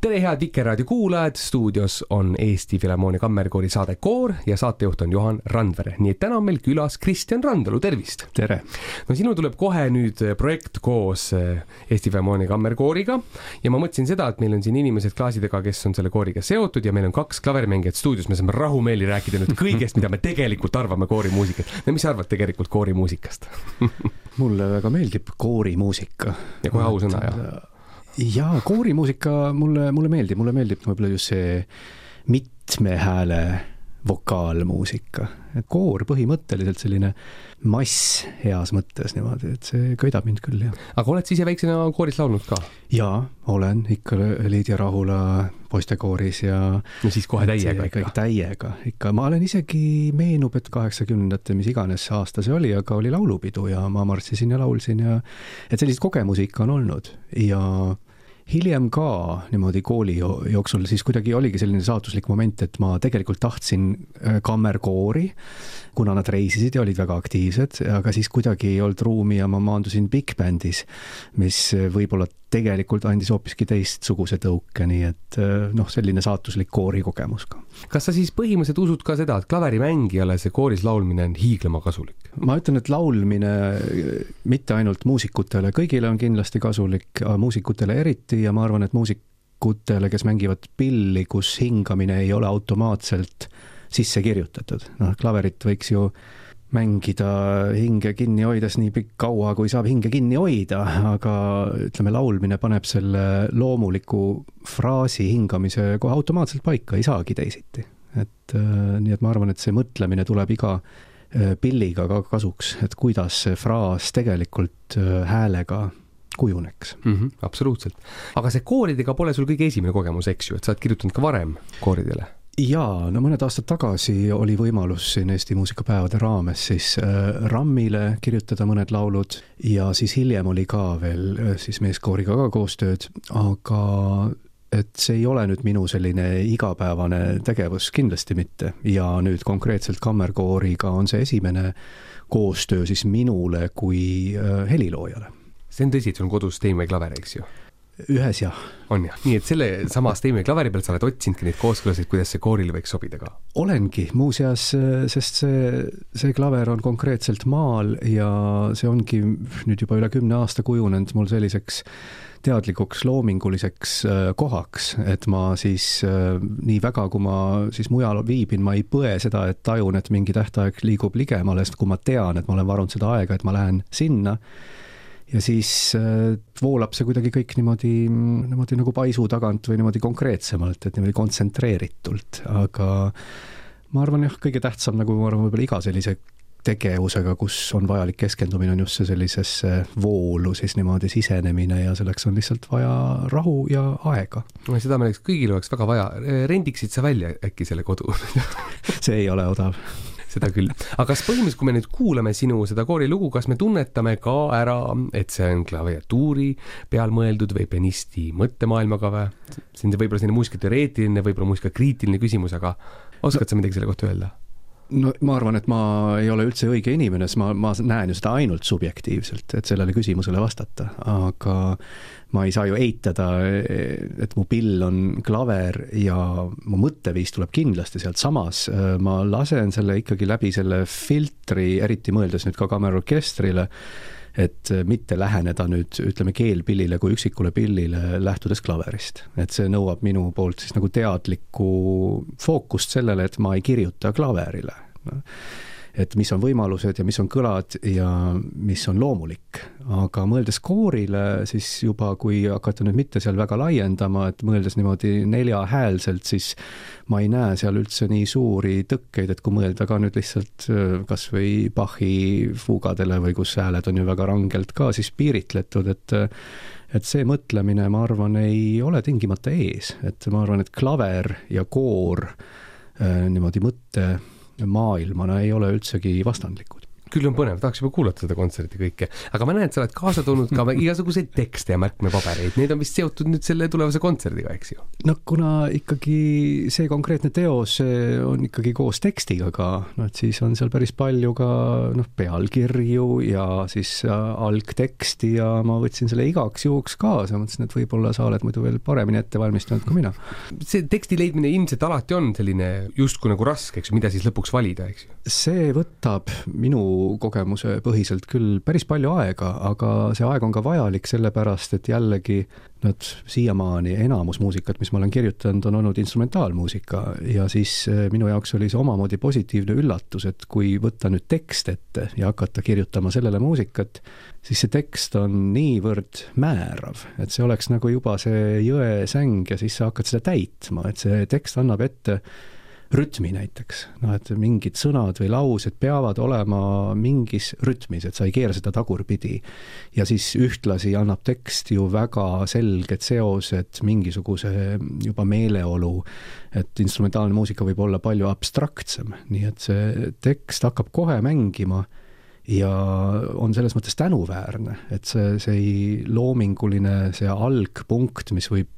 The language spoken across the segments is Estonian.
tere, head Vikerraadio kuulajad, stuudios on Eesti Filharmoonia Kammerkoori saade Koor ja saatejuht on Johan Randvere. Nii et täna on meil külas Kristjan Randalu, tervist! Tere! No sinu tuleb kohe nüüd projekt koos Eesti Filharmoonia Kammerkooriga ja ma mõtlesin seda, et meil on siin inimesed klaasidega, kes on selle kooriga seotud ja meil on 2 klaverimängijat stuudios, me saame rahumeeli rääkida nüüd kõigest, mida me tegelikult arvame koorimuusikast. No mis arvad tegelikult koorimuusikast? Mulle väga meeldib koorimuusika. Ja kohe ausõna, jah? Jaa, koorimuusika mulle meeldib võib-olla just see mitme hääle vokaalmuusika. Et koor põhimõtteliselt selline mass heas mõttes niimoodi, et see köidab mind küll, jah. Aga oled siis väiksena kooris laulnud ka? Jaa, olen ikka Liidia Rahula poistekooris ja... No siis kohe täiega ikka. Täiega ikka. Ma olen isegi meenub, et 80-ndate mis iganes aasta see oli, aga oli laulupidu ja ma marssisin ja laulsin ja... Et sellised kogemusi ikka on olnud ja... Hiljem ka niimoodi kooli jooksul siis kuidagi oligi selline saatuslik moment, et ma tegelikult tahtsin kammerkoori, kuna nad reisisid ja olid väga aktiivsed, aga siis kuidagi ei olnud ruumi ja ma maandusin Big Bandis, mis võib-olla tegelikult andis hoopiski teistsuguse tõuke, nii et selline saatuslik koori kogemus ka. Kas sa siis põhimõtteliselt usud ka seda, et klaverimängijale see kooris laulmine on hiiglema kasulik? Ma ütlen, et laulmine mitte ainult muusikutele, kõigile on kindlasti kasulik, muusikutele eriti ja ma arvan, et muusikutele, kes mängivad pilli, kus hingamine ei ole automaatselt sisse kirjutatud. Klaverit võiks ju mängida hinge kinni hoides nii pikk kaua, kui saab hinge kinni hoida, aga ütleme, laulmine paneb selle loomuliku fraasi hingamise kohe automaatselt paika, ei saagi teisiti. Nii et ma arvan, et see mõtlemine tuleb iga pilliga ka kasuks, et kuidas see fraas tegelikult häälega kujuneks. Absoluutselt. Aga see kooridega pole sul kõige esimene kogemus, eks ju, et sa oled kirjutanud ka varem kooridele? Jaa, mõned aastad tagasi oli võimalus siin Eesti muusikapäevade raames siis Rammile kirjutada mõned laulud ja siis hiljem oli ka veel siis meeskooriga ka koostööd, aga et see ei ole nüüd minu selline igapäevane tegevus, kindlasti mitte. Ja nüüd konkreetselt kammerkooriga on see esimene koostöö siis minule kui heliloojale. See on tõsi, et sul on kodus Steinway klaver, eks ju? Ühes jah. On jah. Nii, et selle sama Steinway klaveri pealt sa oled otsinudki neid kooskõlasid, kuidas see kooril võiks sobida ka? Olengi, muuseas, sest see klaver on konkreetselt maal ja see ongi nüüd juba üle 10 aasta kujunenud mul selliseks teadlikuks loominguliseks kohaks, et ma siis nii väga, kui ma siis mujal viibin, ma ei põe seda, et tajun, et mingi tähtaeg liigub ligemale, sest kui ma tean, et ma olen varunud seda aega, et ma lähen sinna ja siis voolab see kuidagi kõik niimoodi nagu paisu tagant või niimoodi konkreetsemalt, et niimoodi kontsentreeritult, aga ma arvan jah, kõige tähtsam nagu ma arvan võib-olla iga sellise tegevusega, kus on vajalik keskendumine, on just see sellisesse voolu siis niimoodi sisenemine ja selleks on lihtsalt vaja rahu ja aega. Seda me kõigil oleks väga vaja. Rendiksid sa välja äkki selle kodu? See ei ole odav. Seda küll. Aga kas põhimõtteliselt, kui me nüüd kuulame sinu seda koorilugu, kas me tunnetame ka ära, et see on klaviatuuri peal mõeldud või pianisti mõttemaailmaga või? See on võib-olla selline muusikateoreetiline, võib-olla muusikakriitiline küsimus, aga oskad sa midagi selle kohta öelda? No ma arvan, et ma ei ole üldse õige inimene, sest ma näen ju seda ainult subjektiivselt, et sellele küsimusele vastata, aga ma ei saa ju eitada, et mu pill on klaver ja mu mõtteviis tuleb kindlasti sealt samas. Ma lasen selle ikkagi läbi selle filtri, eriti mõeldes nüüd ka kammerorkestrile, et mitte läheneda nüüd, ütleme, keelpillile kui üksikule pillile lähtudes klaverist. Et see nõuab minu poolt siis nagu teadlikku fookust sellele, et ma ei kirjuta klaverile. Et mis on võimalused ja mis on kõlad ja mis on loomulik. Aga mõeldes koorile, siis juba kui hakata nüüd mitte seal väga laiendama, et mõeldes niimoodi 4-häälselt, siis ma ei näe seal üldse nii suuri tõkkeid, et kui mõelda ka nüüd lihtsalt kas või Bachi fuugadele või kus hääled on ju väga rangelt ka siis piiritletud, et see mõtlemine, ma arvan, ei ole tingimata ees. Et ma arvan, et klaver ja koor niimoodi mõtte maailmana ei ole üldsegi vastandlikud. küll on põnev, tahaks juba kuulata seda kontserti kõike, aga ma näen, et sa oled kaasa toonud ka igasuguseid tekste ja märkmepabereid, need on vist seotud nüüd selle tulevase kontserdiga, eks ju? No kuna ikkagi see konkreetne teos on ikkagi koos tekstiga ka, no et siis on seal päris palju ka pealkirju ja siis algteksti ja ma võtsin selle igaks juhuks kaasa, mõtlesin, et võib-olla sa oled muidu veel paremini ette valmistanud kui mina. See teksti leidmine ilmselt alati on selline justkui nagu raske, eks ju, mida siis lõpuks valida, eks ju? See võtab minu kogemuse põhiselt küll päris palju aega, aga see aeg on ka vajalik sellepärast, et jällegi siiamaani enamus muusikat, mis ma olen kirjutanud, on olnud instrumentaalmuusika ja siis minu jaoks oli see omamoodi positiivne üllatus, et kui võtta nüüd tekst ette ja hakata kirjutama sellele muusikat, siis see tekst on niivõrd määrav, et see oleks nagu juba see jõesäng ja siis sa hakkad seda täitma, et see tekst annab ette rütmi näiteks, et mingid sõnad või laused peavad olema mingis rütmis, et sa ei keera seda tagurpidi ja siis ühtlasi annab tekst ju väga selged seosed mingisuguse juba meeleolu, et instrumentaalne muusika võib olla palju abstraktsem, nii et see tekst hakkab kohe mängima ja on selles mõttes tänuväärne, et see loominguline, see algpunkt, mis võib,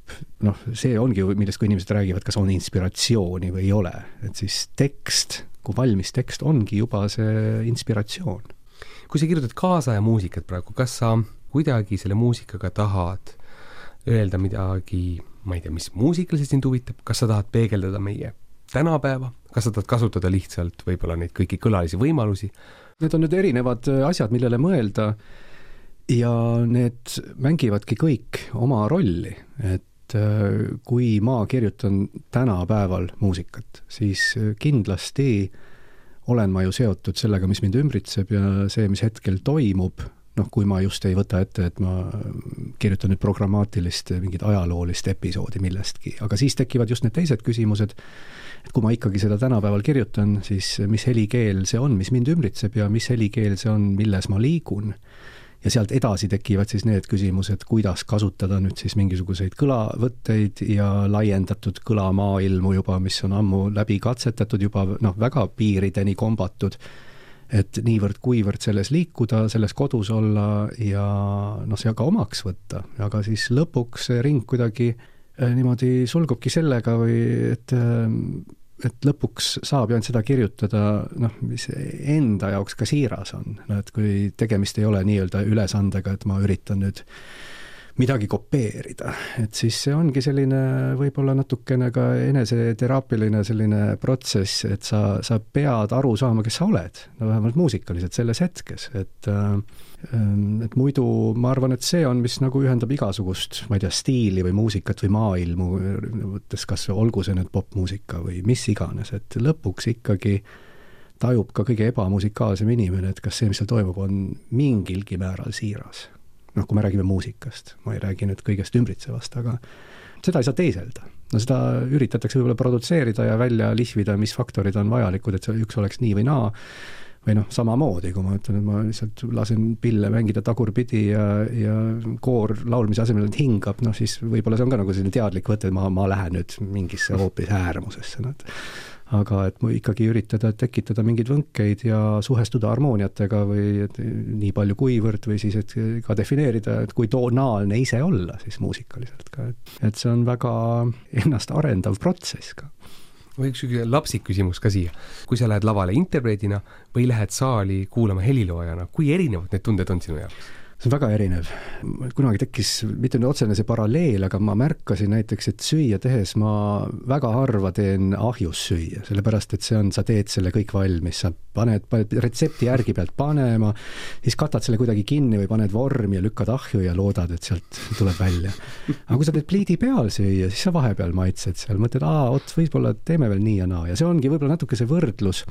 see ongi, millest kui inimesed räägivad, kas on inspiratsiooni või ei ole, et siis tekst, kui valmis tekst, ongi juba see inspiratsioon. Kui sa kirjutad kaasaja muusikat praegu, kas sa kuidagi selle muusikaga tahad öelda midagi, ma ei tea, mis muusikaliselt sind huvitab, kas sa tahad peegeldada meie tänapäeva, kas sa tahad kasutada lihtsalt võib-olla neid kõiki kõlalisi võimalusi? Need on nüüd erinevad asjad, millele mõelda ja need mängivadki kõik oma rolli, et kui ma kirjutan tänapäeval muusikat, siis kindlasti olen ma ju seotud sellega, mis mind ümbritseb ja see, mis hetkel toimub, kui ma just ei võta ette, et ma kirjutan nüüd programmaatilist mingit ajaloolist episoodi millestki, aga siis tekivad just need teised küsimused, et kui ma ikkagi seda tänapäeval kirjutan, siis mis helikeel see on, mis mind ümbritseb ja mis helikeel see on, milles ma liigun. Ja sealt edasi tekivad siis need küsimused, kuidas kasutada nüüd siis mingisuguseid kõlavõtteid ja laiendatud kõlamaailmu juba, mis on ammu läbi katsetatud, juba väga piirideni kombatud, et niivõrd-kuivõrd selles liikuda, selles kodus olla ja see ka omaks võtta, aga siis lõpuks see ring kuidagi niimoodi sulgubki sellega või et lõpuks saab ju ainult seda kirjutada, mis enda jaoks ka siiras on. Et kui tegemist ei ole nii-öelda ülesandega, et ma üritan nüüd midagi kopeerida, et siis see ongi selline võib-olla natukene ka eneseteraapiline selline protsess, et sa pead aru saama, kes sa oled, vähemalt muusikaliselt selles hetkes, et muidu ma arvan, et see on, mis nagu ühendab igasugust, ma ei tea, stiili või muusikat või maailmu, võttes kas olgu see nüüd popmuusika või mis iganes, et lõpuks ikkagi tajub ka kõige ebamusikaalsem inimene, et kas see, mis seal toimub, on mingilgi määral siiras. Kui me räägime muusikast, ma ei räägi nüüd kõigest ümbritsevast, aga seda ei saa teiselda. Seda üritatakse võib-olla produtseerida ja välja lihvida, mis faktorid on vajalikud, et see üks oleks nii või naa, või samamoodi, kui ma ütlen, et ma lihtsalt lasen pille mängida tagurpidi ja koor laulmise asemel hingab, siis võib-olla see on ka nagu selline teadlik võte, et ma lähen nüüd mingisse hoopis äärmusesse. Aga et ma ikkagi üritada tekitada mingeid võnkeid ja suhestuda harmooniatega või nii palju kuivõrd või siis et ka defineerida, et kui tonaalne ise olla siis muusikaliselt ka. Et see on väga ennast arendav protsess ka. Või üks lapsik küsimus ka siia. Kui sa lähed lavale interpreedina või lähed saali kuulama heliloojana, kui erinevad need tunded on sinu jaoks? See on väga erinev. Kunagi tekkis, mitte nüüd otsene see paralleel, aga ma märkasin näiteks, et süüa tehes ma väga harva teen ahjus süüa, sellepärast, et sa teed selle kõik valmis, sa paned retsepti järgi pealt panema, siis katad selle kuidagi kinni või paned vormi ja lükkad ahju ja loodad, et sealt tuleb välja. Aga kui sa teed pliidi peal süüa, siis sa vahepeal maitsed seal, mõtled, võib-olla teeme veel nii ja naa. Ja see ongi võib-olla natuke see võrdlus,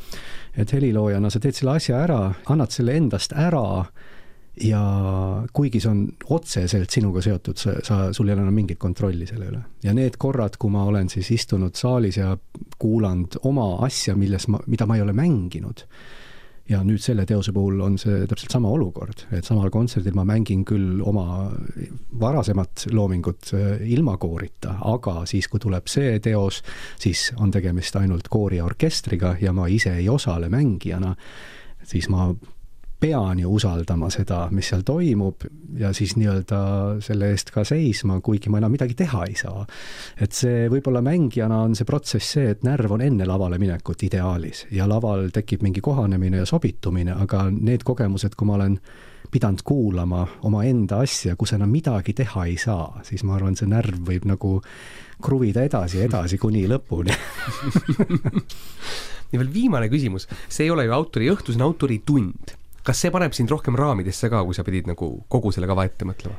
et heliloojana sa teed selle asja ära, annad selle endast ära, ja kuigi see on otseselt sinuga seotud, sul ei ole enam mingit kontrolli selle üle. Ja need korrad, kui ma olen siis istunud saalis ja kuulanud oma asja, mida ma ei ole mänginud, ja nüüd selle teose puhul on see täpselt sama olukord, et samal kontserdil ma mängin küll oma varasemat loomingut ilma koorita, aga siis, kui tuleb see teos, siis on tegemist ainult koori ja orkestriga ja ma ise ei osale mängijana, siis ma pean ju usaldama seda, mis seal toimub ja siis nii-öelda selle eest ka seisma, kuigi ma enam midagi teha ei saa. Et see võib-olla mängijana on see protsess see, et närv on enne lavale minekut ideaalis ja laval tekib mingi kohanemine ja sobitumine, aga need kogemused, kui ma olen pidanud kuulama oma enda asja, kus enam midagi teha ei saa, siis ma arvan, see närv võib nagu kruvida edasi kuni lõpuni. Ja veel viimane küsimus, see ei ole ju autori õhtu, see on autori tund. Kas see paneb sind rohkem raamidesse ka, kui sa pidid nagu kogu selle kava ette mõtlema?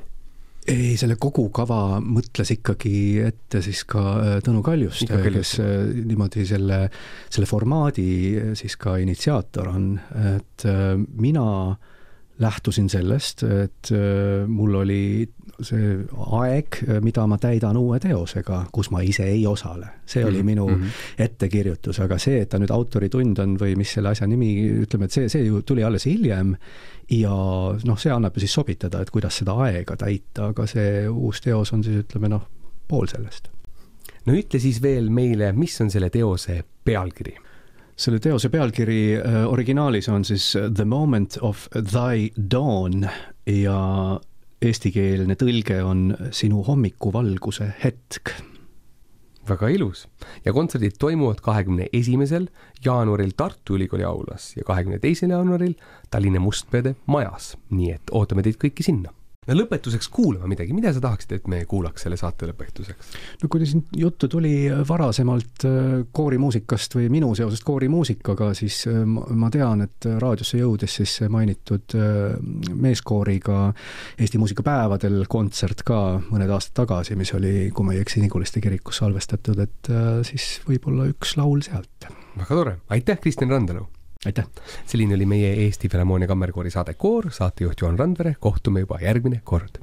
Ei, selle kogu kava mõtles ikkagi ette siis ka Tõnu Kaljust, kes niimoodi selle formaadi siis ka initsiaator on, et mina lähtusin sellest, et mul oli see aeg, mida ma täidan uue teosega, kus ma ise ei osale. See oli minu ettekirjutus, aga see, et ta nüüd autoritund on või mis selle asja nimi, ütleme, et see ju tuli alles hiljem ja see annab ju siis sobitada, et kuidas seda aega täita, aga see uus teos on siis, ütleme, pool sellest. No ütle siis veel meile, mis on selle teose pealkiri? Selle teose pealkiri originaalis on siis The Moment of Thy Dawn ja eestikeelne tõlge on Sinu hommikuvalguse hetk. Väga ilus. Ja kontserdid toimuvad 21. jaanuaril Tartu Ülikooli aulas ja 22. jaanuaril Tallinna Mustpeade majas. Nii et ootame teid kõiki sinna. No lõpetuseks kuulama midagi. Mida sa tahaksid, et me kuulaks selle saate lõpetuseks? No kui siin juttu tuli varasemalt koorimuusikast või minu seosest koorimuusikaga, siis ma tean, et raadiosse jõudes siis mainitud meeskooriga Eesti muusikapäevadel kontsert ka mõned aastad tagasi, mis oli, kui ma ei eksi, Niguliste kirikus salvestatud, et siis võib-olla üks laul sealt. Väga tore. Aitäh, Kristjan Randalu! Aitäh! Selline oli meie Eesti Filharmoonia Kammerkoori saade Koor, saatejuht Juhan Randvere, kohtume juba järgmine kord.